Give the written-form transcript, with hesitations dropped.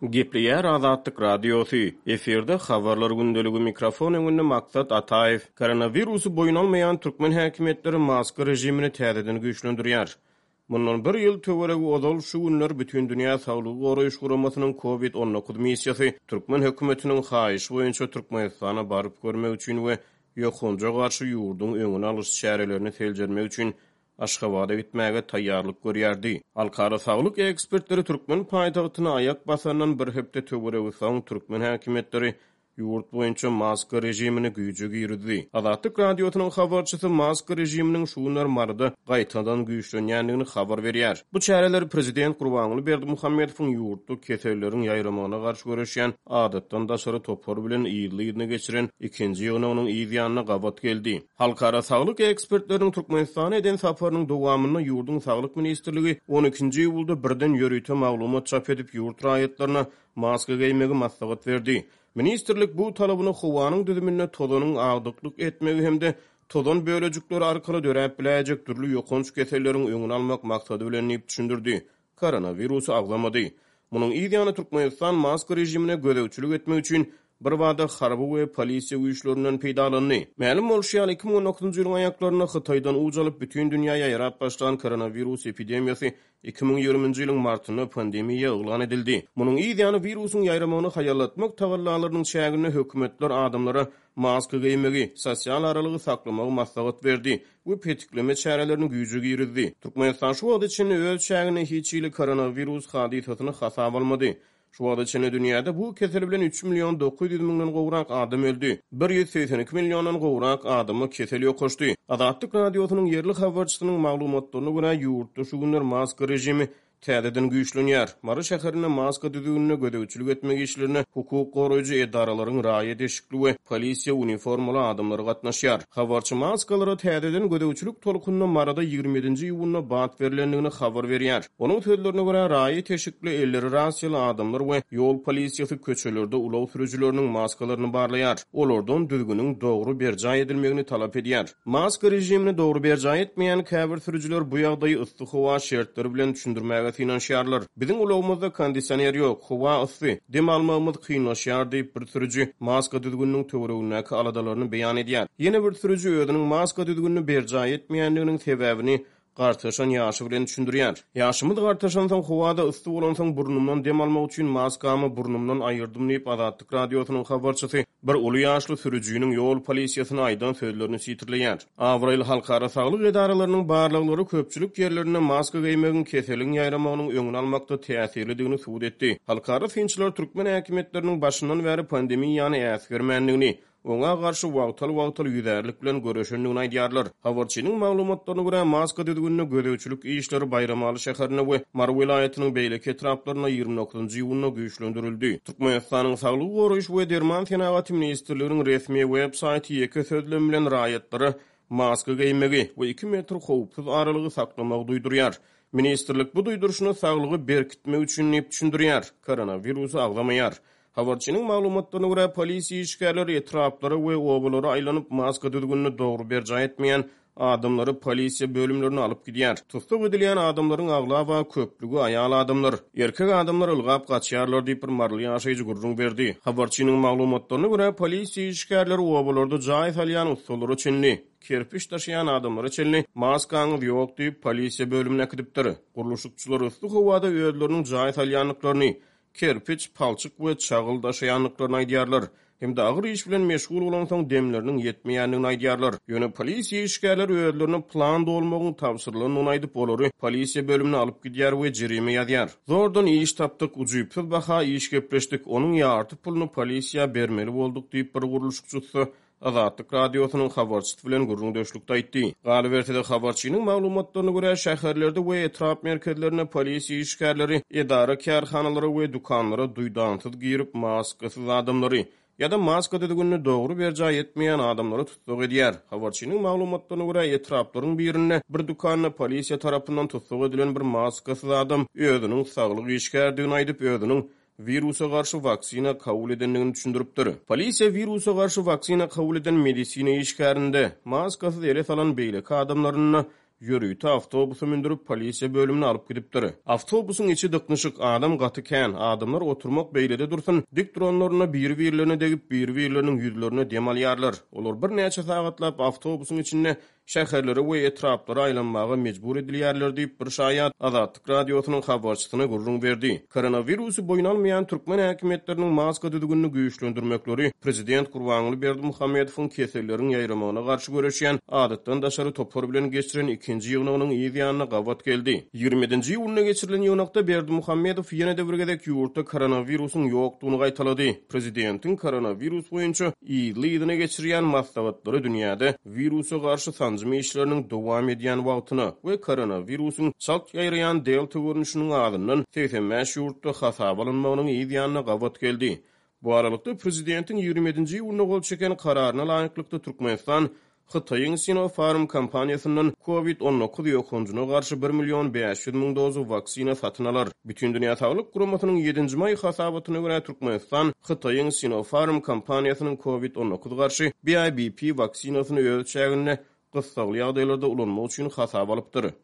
Gepleýär Azatlyk Radiosy, efirde Habarlar gündeligi, mikrofon öňünde Maksat Ataýew. Koronawirusy boýun almaýan türkmen häkimiýetleri maska režimini täzeden güýçlendirýär. Mundan bir ýyl töweregi ozal şu günler Bütindünýä Saglygy Goraýyş Guramasynyň Covid 19 missiýasy türkmen hökümetiniň haýyşy boýunça Türkmenistana baryp görmek üçin we ýokanja garşy ýurduň öňüni alyş çärelerini seljermek üçin Aşgabada gitmäge taýýarlyk görýärdi. Halkara saglyk ekspertleri türkmen paýtagtyna aýak basandan bir hepde töweregi soň türkmen häkimiýetleri ýurt boýunça maska režimini güýje girizdi. Azatlyk Radiosynyň habarçysy maska režiminiň şu günler Maryda gaýtadan güýçlenýändigini habar berýär. Bu çäreler prezident Gurbanguly Berdimuhamedowyň ýurtda keselleriň ýaýramagyna garşy göreşýän adatdan daşary topar bilen yzly-yzyna geçiren ikinji ýygnagynyň yz ýanyna gabat geldi. Halkara saglyk ekspertleriniň Türkmenistana eden saparynyň dowamynda ýurduň Saglyk ministrligi on ikinji iýulda birden ýörite maglumat çap edip, ýurt raýatlaryna maska geýmegi maslahat berdi. Ministrlik bu talabyny howanyň düzüminde tozanyň agdyklyk etmegi hem-de tozan bölejikleri arkaly döräp biläýjek dürli ýokanç keselleriň öňüni almak maksady bilen diýip düşündirdi. Koronawirusy agzamady. Munuň yz ýany Türkmenistan maska režimine gözegçilik etmek üçin birbada harby we polisiýa güýçlerinden peýdalandy. Mälim bolşy ýaly, 2019-njy ýylyň aýaklarynda Hytaýdan uç alyp, bütin dünýä ýaýrap başlan koronawirus epidemiýasy 2020-nji ýylyň martynda pandemiýa yglan edildi. Munuň yz ýany wirusyň ýaýramagyny haýallatmak tagallalarynyň çäginde hökümetler adamlara maska geýmegi, sosial aralygy saklamagy maslahat berdi we petikleme çärelerini güýje girizdi. Türkmenistan şu wagta çenli öz çäginde hiç hili koronawirus hadysasyny hasaba almady. Şu wagta çenli dünýäde bu kesel bilen üç million 900 müňden gowrak adam öldi, 182 milliondan gowrak adama kesel ýokaşdy. Azatlyk Radiosynyň ýerli habarçysynyň maglumatlaryna görä, ýurtda şu günler maska režimi Täzeden güýçlenýär. Mary şäherinde maska düzgünine gözegçilik etmek işlerine hukuk goraýjy edaralaryň raýat eşikli we polisiýa uniformaly adamlary gatnaşýar. Habarçy maskalara täzeden gözegçilik tolkunyna Maryda 27 nji iýunda bat berlendigini habar berýär. Onuň sözlerine görä, raýat eşikli, elleri rasiýaly adamlar we ýol polisiýasy köçelerde ulag sürüjileriniň maskalaryny barlaýar, olardan düzgüniň dogry berjaý edilmegini talap edýär. Maska režimini dogry berjaý etmeýän käbir sürüjiler bu ýagdaýy yssy howa şertleri bilen düşündirmäge synanyşýarlar. Biziň ulagymyzda kondisioner ýok, howa yssy, dem almagymyz kynlaşýar diýip, bir sürüji maska düzgüniniň töweregindäki aladalaryny beýan edýär. Ýene bir sürüji özüniň maska düzgünini berjaý etmeýändiginiň sebäbini gartaşan ýaşy bilen düşündirýär. Ýaşymyz gartaşansoň, howa-da yssy bolansoň burnumdan dem almak üçin maskamy burnumdan aýyrdym diýip, Azatlyk Radiosynyň habarçysy bir uly ýaşly sürüjiniň ýol polisiýasyna aýdan sözlerini sitirleýär. Abraýly halkara saglyk edaralarynyň barlaglary köpçülik ýerlerinde maska geýmegiň keseliň ýaýramagynyň öňüni almakda täsirlidigini subut etdi. Halkara synçylar türkmen häkimiýetleriniň başyndan bäri pandemiýany äsgermändigini, oňa garşy wagtal-wagtal ýüzärlik bilen göreşendigini aýdýarlar. Habarçynyň maglumatlaryna görä, maska düzgünine gözegçilik işleri Baýramaly şäherinde we Mary welaýatynyň beýleki etraplarynda 29-njy iýunda güýçlendirildi. Türkmenistanyň Saglygy goraýyş we derman senagaty ministrliginiň resmi web saýty ýeke sözlem bilen raýatlara maska geýmegi we iki metr howpsuz aralygy saklamagy duýdurýar. Ministrlik bu duýduryşyny saglygy berkitmek üçin diýip düşündirýär, koronawirusy agzamaýar. Habarçynyň maglumatlaryna görä, polisiýa işgärleri etraplara we obalara aýlanyp, maska düzgünini dogry berjaý etmeýän adamlary polisiýa bölümlerine alyp gidýär. Tussag edilýän adamlaryň aglaba köplügi aýal adamlar. Erkek adamlar ylgap gaçýarlar diýip, bir maryly ýaşaýjy gürrüň berdi. Habarçynyň maglumatlaryna görä, polisiýa işgärleri obalarda jaý salýan ussalara çenli, kerpiç daşaýan adamlara çenli maskaňyz ýok diýip, polisiýa bölümine äkidipdir. Gurluşykçylar yssy howada özleriniň jaý salýandyklaryny, kerpiç, palçyk we çagyl daşaýandyklaryny aýdýarlar hem-de agyr iş bilen meşgul bolansoň demleriniň ýetmeýändigini aýdýarlar. Ýöne polisiýa işgärleri özlerine plan dolmagyň tabşyrylandygyny aýdyp, olary polisiýa bölümine alyp gidýär we jerime ýazýar. Zordan iş tapdyk, ujypsyz baha iş gepleşdik, onuň ýarty puluny polisiýa bermeli bolduk diýip, bir gurluşykçy ussa Azatlyk Radiosynyň habarçysy bilen gürrüňdeşlikde aýtdy. Galyberse-de, habarçynyň maglumatlaryna görä, şäherlerde we etrap merkezlerinde polisiýa işgärleri edara-kärhanalara we dükanlara duýdansyz girip, maskasyz adamlary ýa-da maska düzgünini dogry berjaý etmeýän adamlary tussag edýär. Habarçynyň maglumatlaryna görä, etraplaryň birinde bir dükanda polisiýa tarapyndan tussag edilen bir maskasyz adam özüniň saglyk işgäridigini aýdyp, özüniň wirusa garşy waksina kabul edendigini düşündiripdir. Polisiýa wirusa garşy waksina kabul eden medisina işgärinde, maskasyz ele salan beýleki adamlarynda. ýörite awtobusa mündürip, polisiýa bölümine alyp gidipdir. Awtobusyň içi dyknyşyk, adam gaty kän, adamlar oturmak beýlede dursun, dik duranlarynda biri-birlerine degip, biri-birleriniň ýüzlerine dem alýarlar. Olar birnäçe sagatlap awtobusyň içinde şäherlere we etraplara aýlanmaga mejbur edilýärler diýip, bir şaýat Azatlyk Radiosynyň habarçysyna gürrüň berdi. Koronawirusy boýun almaýan türkmen häkimiýetleriniň maska düzgünini güýçlendirmekleri prezident Gurbanguly Berdimuhamedowyň keselleriň ýaýramagyna garşy göreşýän adatdan daşary topar bilen geçiren ikinji ýygnagynyň yz ýanyna gabat geldi. 27-nji iýunda geçirilen ýygnakda Berdimuhamedow ýene-de bir gezek ýurtda koronawirusyň ýokdugyny gaýtalady. Prezidentiň koronawirus boýunça yzly-yzyna geçirýän maslahatlary dünýäde wirusa garşy sanjym işleriniň dowam edýän wagtyna we koronawirusyň çalt ýaýraýan delta görnüşiniň azyndan 85 ýurtda hasaba alynmagynyň yz ýanyna gabat geldi. Bu aralykda, prezidentiň 27-nji iýunda gol çeken kararyna laýyklykda, Türkmenistan Hytaýyň Sinopharm kompaniýasyndan Covid 19 ýokanjyna garşy bir million 500 müň doza waksina satyn alar. Bütindünýä Saglyk Guramasynyň ýedinji maý hasabatyna görä, Türkmenistan Hytaýyň Sinopharm kompaniýasynyň Covid 19 garşy BIBP waksinasyny öz çäginde gyssagly ýagdaýlarda ulanmak üçin hasaba alypdyr.